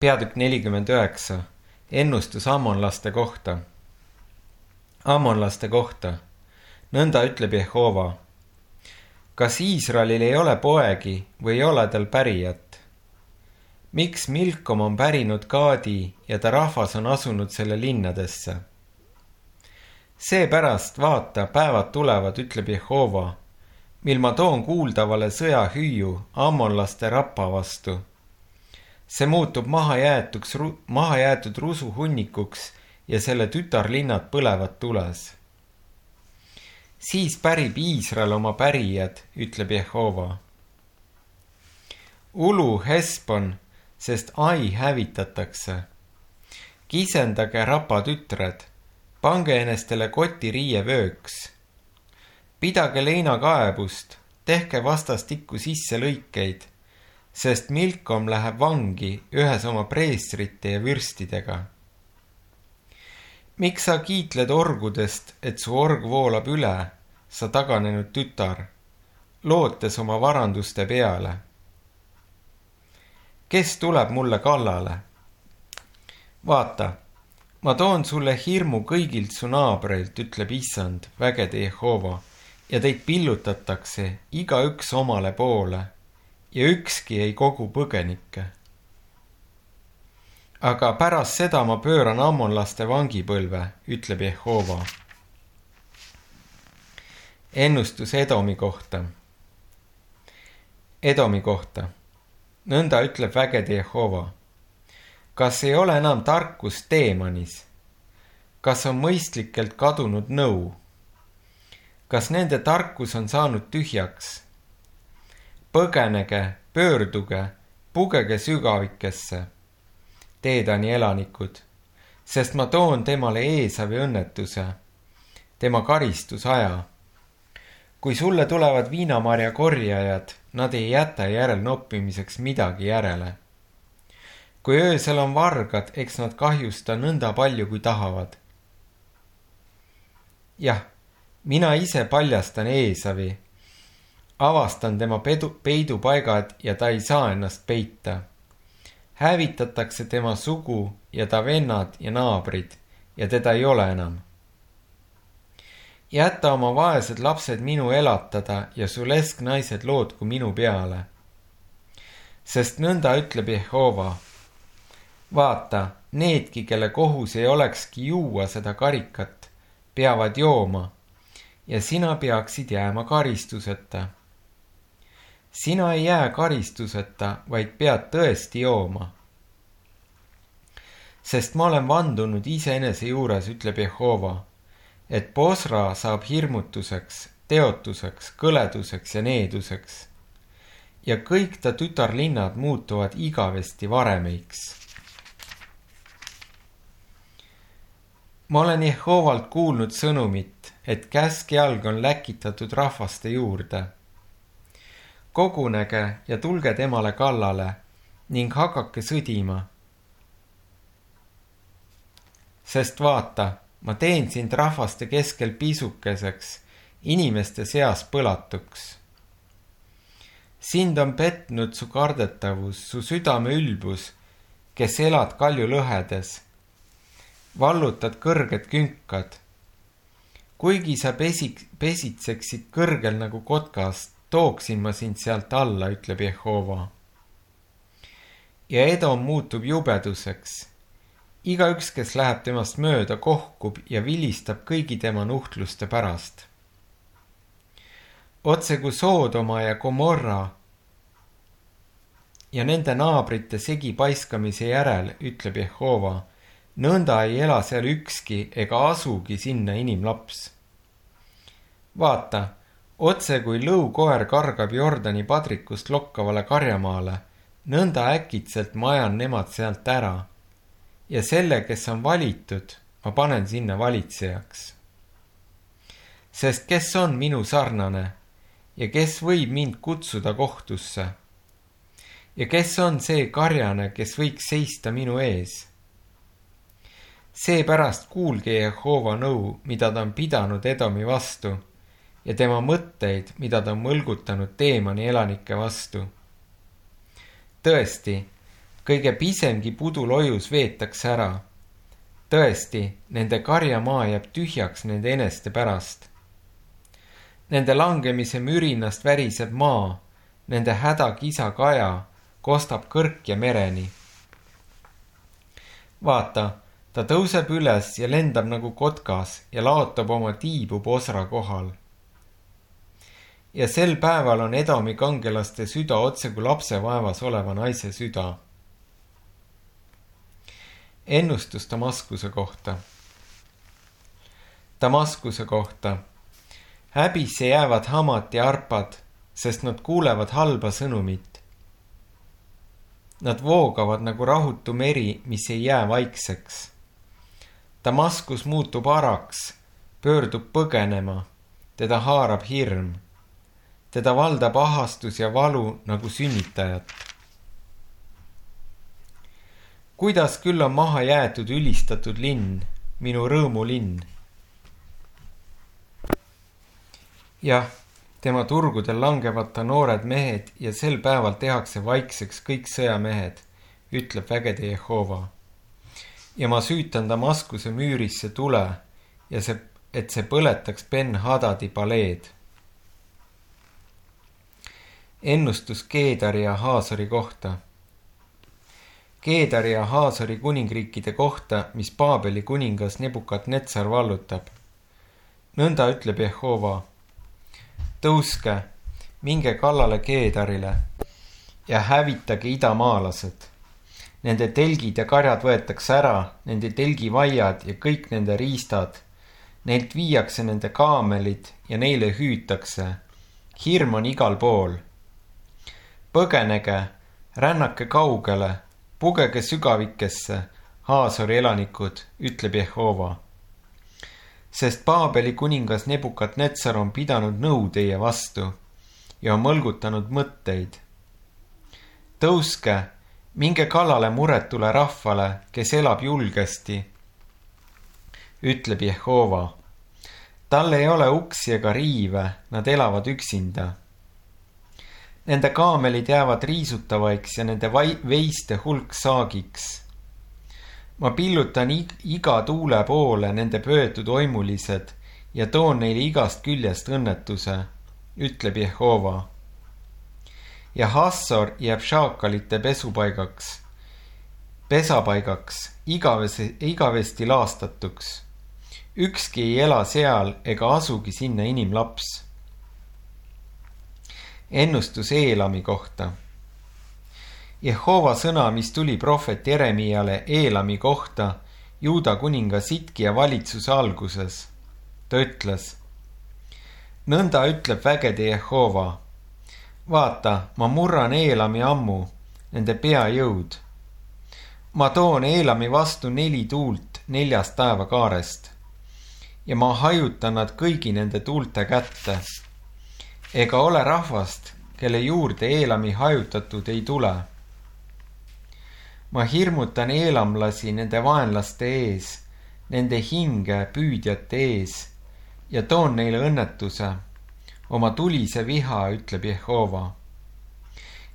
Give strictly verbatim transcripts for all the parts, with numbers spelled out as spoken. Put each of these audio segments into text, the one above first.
Peatükk nelikümmend üheksa. Ennustus ammonlaste kohta. Ammonlaste kohta. Nõnda ütleb Jehova. Kas Iisraelil ei ole poegi või ei ole tal pärijat? Miks Milkom on pärinud Gaadi ja ta rahvas on asunud selle linnadesse? Seepärast vaata, päevad tulevad, ütleb Jehova, mil ma toon kuuldavale sõjahüüu ammonlaste rappa vastu. See muutub mahajäetuks, mahajäetud rusu hunnikuks ja selle tütarlinnad põlevad tules. Siis pärib Iisrael oma pärijad, ütleb Jehova. Ulu Hesbon, sest Ai hävitatakse. Kisendage rapa tütred, pange enestele koti riievööks. Pidage leinakaebust, tehke vastastikku sisse lõikeid, sest Milkom läheb vangi ühes oma preestrite ja vürstidega. Miks sa kiitled orgudest, et su org voolab üle, sa taganenud tütar, lootes oma varanduste peale? Kes tuleb mulle kallale? Vaata, ma toon sulle hirmu kõigilt su naabreilt, ütleb Issand, vägede Jehova, ja teid pillutatakse igaüks omale poole, ja ükski ei kogu põgenikke. Aga pärast seda ma pööran ammonlaste vangipõlve, ütleb Jehova. Ennustus Edomi kohta. Edomi kohta. Nõnda ütleb vägede Jehova. Kas ei ole enam tarkus Teemanis? Kas on mõistlikelt kadunud nõu? Kas nende tarkus on saanud tühjaks? Põgenege, pöörduge, pugege sügavikesse, Teedani elanikud, sest ma toon temale Eesavi õnnetuse, tema karistusaja. Kui sulle tulevad viinamarja korjajad, nad ei jäta järel noppimiseks midagi järele. Kui öösel on vargad, eks nad kahjusta nõnda palju, kui tahavad. Jah, mina ise paljastan Eesavi, avastan tema pedu, peidupaigad ja ta ei saa ennast peita. Hävitatakse tema sugu ja ta vennad ja naabrid ja teda ei ole enam. Jäta oma vaesed lapsed minu elatada ja su lesknaised lootku minu peale. Sest nõnda ütleb Jehova. Vaata, needki, kelle kohus ei olekski juua seda karikat, peavad jooma ja sina peaksid jääma karistuseta. Sina ei jää karistuseta, vaid pead tõesti jooma. Sest ma olen vandunud iseenese juures, ütleb Jehova, et Bosra saab hirmutuseks, teotuseks, kõleduseks ja needuseks. Ja kõik ta tütarlinnad muutuvad igavesti varemeiks. Ma olen Jehovalt kuulnud sõnumit, et käskjalg on läkitatud rahvaste juurde. Kogunege ja tulge temale kallale ning hakake sõdima. Sest vaata, ma teen sind rahvaste keskel pisukeseks, inimeste seas põlatuks. Sind on petnud su kardetavus, su südame ülbus, kes elad kalju lõhedes. Vallutad kõrged künkad. Kuigi sa pesik, pesitseksid kõrgel nagu kotkast, tooksin ma sind sealt alla, ütleb Jehova. Ja Edom muutub jubeduseks. Igaüks, kes läheb temast mööda, kohkub ja vilistab kõigi tema nuhtluste pärast. Otse kui Soodoma ja Gomorra ja nende naabrite segi paiskamise järel, ütleb Jehova, nõnda ei ela seal ükski ega asugi sinna inimlaps. Vaata, otse kui lõukoer kargab Jordani padrikust lokkavale karjamaale, nõnda äkitselt ma ajan nemad sealt ära. Ja selle, kes on valitud, ma panen sinna valitsejaks. Sest kes on minu sarnane ja kes võib mind kutsuda kohtusse? Ja kes on see karjane, kes võiks seista minu ees? Seepärast kuulge Jehova nõu, mida ta on pidanud Edomi vastu, ja tema mõtteid, mida ta on mõlgutanud Teemani elanike vastu. Tõesti, kõige pisemgi pudulojus veetakse ära. Tõesti, nende karjamaa jääb tühjaks nende eneste pärast. Nende langemise mürinast väriseb maa, nende hädakisa kaja kostab kõrk ja mereni. Vaata, ta tõuseb üles ja lendab nagu kotkas ja laotab oma tiibu Bosra kohal. Ja sel päeval on Edomi kangelaste süda otse kui lapsevaevas oleva naise süda. Ennustus Damaskuse kohta. Damaskuse kohta. Häbisse jäävad Hamat ja Arpad, sest nad kuulevad halba sõnumit. Nad voogavad nagu rahutu meri, mis ei jää vaikseks. Damaskus muutub araks, pöördub põgenema, teda haarab hirm. Teda valdab ahastus ja valu nagu sünnitajat. Kuidas küll on maha jäetud ülistatud linn, minu rõõmulinn? Jah, tema turgudel langevad ta noored mehed ja sel päeval tehakse vaikseks kõik sõjamehed, ütleb vägede Jehova. Ja ma süütan Damaskuse müürisse tule ja see, et see põletaks Ben-Hadadi paleed. Ennustus Keedari ja Haasori kohta. Keedari ja Haasori kuningriikide kohta, mis Paabeli kuningas Nebukadnetsar vallutab. Nõnda ütleb Jehova. Tõuske, minge kallale Keedarile ja hävitage idamaalased. Nende telgid ja karjad võetakse ära, nende telgivaiad ja kõik nende riistad. Neilt viiakse nende kaamelid ja neile hüütakse. Hirm on igal pool. Põgenege, rännake kaugele, pugege sügavikesse, Haasori elanikud, ütleb Jehova. Sest Paabeli kuningas Nebukadnetsar on pidanud nõu teie vastu ja on mõlgutanud mõtteid. Tõuske, minge kallale muretule rahvale, kes elab julgesti, ütleb Jehova. Tal ei ole uksi ega riive, nad elavad üksinda. Nende kaamelid jäävad riisutavaiks ja nende veiste hulk saagiks. Ma pillutan iga tuule poole nende pöötud oimulised ja toon neile igast küljest õnnetuse, ütleb Jehova. Ja Hassor jääb šaakalite pesupaigaks, pesapaigaks, igavesti, igavesti laastatuks. Ükski ei ela seal ega asugi sinna inimlaps. Ennustus Eelami kohta. Jehova sõna, mis tuli prohvet Jeremiale Eelami kohta Juuda kuninga Sitkia valitsuse alguses. Ta ütles, nõnda ütleb vägede Jehova. Vaata, ma murran Eelami ammu, nende peajõud. Ma toon Eelami vastu neli tuult neljast taevakaarest ja ma hajutan nad kõigi nende tuulte kätte. Ega ole rahvast, kelle juurde Eelami hajutatud ei tule. Ma hirmutan eelamlasi nende vaenlaste ees, nende hinge püüdjate ees ja toon neile õnnetuse, oma tulise viha, ütleb Jehova.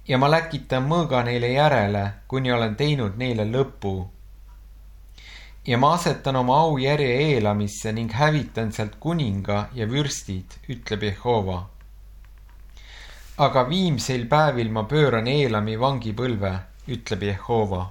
Ja ma läkitan mõõga neile järele, kuni olen teinud neile lõpu. Ja ma asetan oma aujärje Eelamisse ning hävitan sealt kuninga ja vürstid, ütleb Jehova. Aga viimseil päevil ma pööran Eelami vangipõlve, ütleb Jehova.